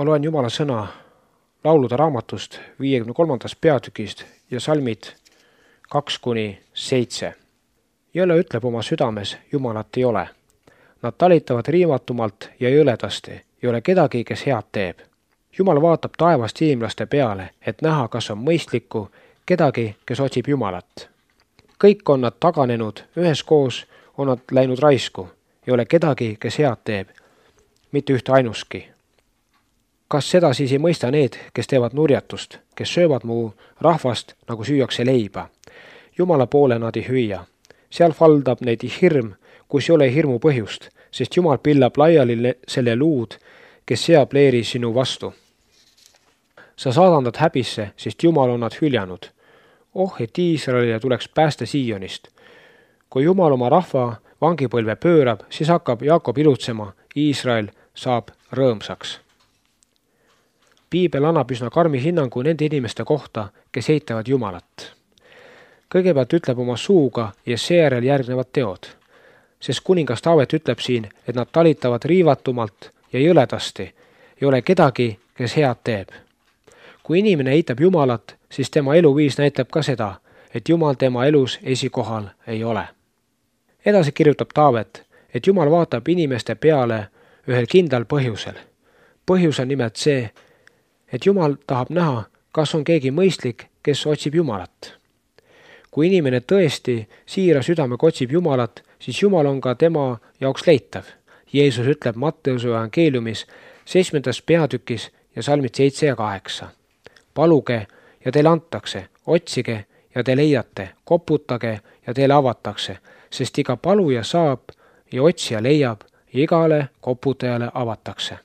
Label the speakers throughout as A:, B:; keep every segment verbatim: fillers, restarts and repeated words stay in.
A: Ma loen Jumala sõna laulude raamatust viiekümne kolmandast peatükist ja salmid kaks kuni seitse. Jõle ütleb oma südames, Jumalat ei ole. Nad talitavad riivatumalt ja jõledasti, ei ole kedagi, kes head teeb. Jumal vaatab taevast inimlaste peale, et näha, kas on mõistlikku kedagi, kes otsib Jumalat. Kõik on nad taganenud, üheskoos on nad läinud raisku, ei ole kedagi, kes head teeb, mitte ühte ainuski. Kas seda siis ei mõista need, kes teevad nurjatust, kes söövad mu rahvast, nagu süüakse leiba? Jumala poole nad ei hüüa. Seal valdab neid hirm, kus ei ole hirmu põhjust, sest Jumal pillab laiali selle luud, kes seab leeri sinu vastu. Sa saadandad häbisse, sest Jumal on nad hüljanud. Oh, et Iisraelile tuleks pääste Siionist. Kui Jumal oma rahva vangipõlve pöörab, siis hakkab Jaakob ilutsema, Iisrael saab rõõmsaks. Piibel annab üsna karmi hinnangu nende inimeste kohta, kes eitavad Jumalat. Kõigepealt ütleb oma suuga ja seejärel järgnevad teod, sest kuningas Taavet ütleb siin, et nad talitavad riivatumalt ja jõledasti, ei ole kedagi, kes head teeb. Kui inimene eitab Jumalat, siis tema eluviis näitab ka seda, et Jumal tema elus esikohal ei ole. Edasi kirjutab Taavet, et Jumal vaatab inimeste peale ühel kindlal põhjusel. Põhjus on nimelt see, et Jumal tahab näha, kas on keegi mõistlik, kes otsib Jumalat. Kui inimene tõesti siira südamega otsib Jumalat, siis Jumal on ka tema jaoks leitav. Jeesus ütleb Matteuse evangeeliumis seitsmendas peatükis ja salmid seitse ja kaheksa. Paluge ja teile antakse, otsige ja te leiate, koputage ja teile avatakse, sest iga paluja saab ja otsija leiab ja igale koputajale avatakse.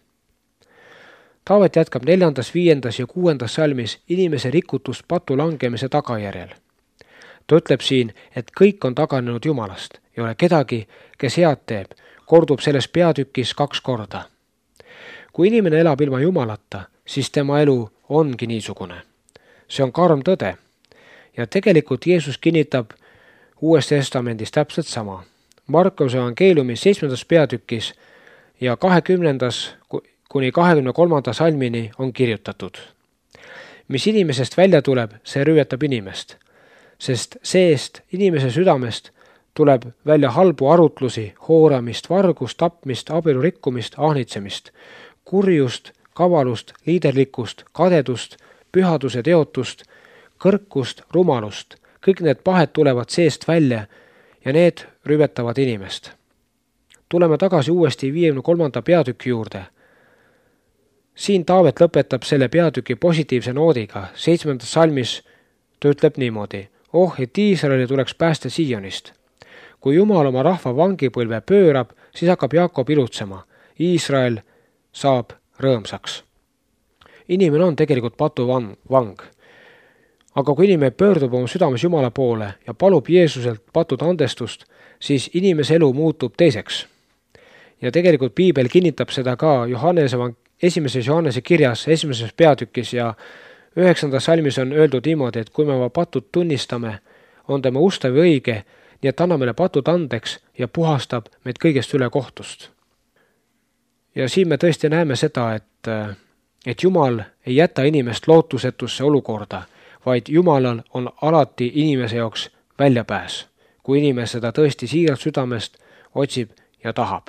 A: Taavet jätkab neljandas, viiendas ja kuuendas salmis inimese rikutust patu langemise tagajärjel. Ta ütleb siin, et kõik on taganenud Jumalast, ei ole kedagi, kes head teeb, kordub selles peatükis kaks korda. Kui inimene elab ilma Jumalata, siis tema elu ongi niisugune. See on karm tõde. Ja tegelikult Jeesus kinnitab Uues Testamendis täpselt sama. Markuse evangeeliumis seitsmendas peatükis ja kahekümnendas kuni kahekümne kolmanda salmini on kirjutatud. Mis inimesest välja tuleb, see rüüetab inimest, sest seest inimese südamest tuleb välja halbu arutlusi, hooramist, vargust, tapmist, abielu rikkumist, ahnitsemist, kurjust, kavalust, liiderlikkust, kadedust, pühaduse teotust, kõrkust, rumalust. Kõik need pahed tulevad seest välja ja need rüvetavad inimest. Tuleme tagasi uuesti viiekümne kolmanda peatüki juurde. Siin Taavet lõpetab selle peatüki positiivse noodiga. Seitsmendas salmis ta ütleb niimoodi. Oh, et Iisraeli tuleks pääste Siionist. Kui Jumal oma rahva vangipõlve pöörab, siis hakkab Jaakob ilutsema. Iisrael saab rõõmsaks. Inimene on tegelikult patu vang. Aga kui inimene pöördub oma südames Jumala poole ja palub Jeesuselt patude andestust, siis inimese elu muutub teiseks. Ja tegelikult Piibel kinnitab seda ka Johannese, esimeses Johannese kirjas, esimeses peatükis ja üheksandas salmis on öeldud niimoodi, et kui me oma patud tunnistame, on tema ustav ja õige, nii et anna meile patud andeks ja puhastab meid kõigest üle kohtust. Ja siin me tõesti näeme seda, et, et Jumal ei jäta inimest lootusetusse olukorda, vaid Jumalal on alati inimese jaoks väljapääs, kui inimene seda tõesti siiralt südamest otsib ja tahab.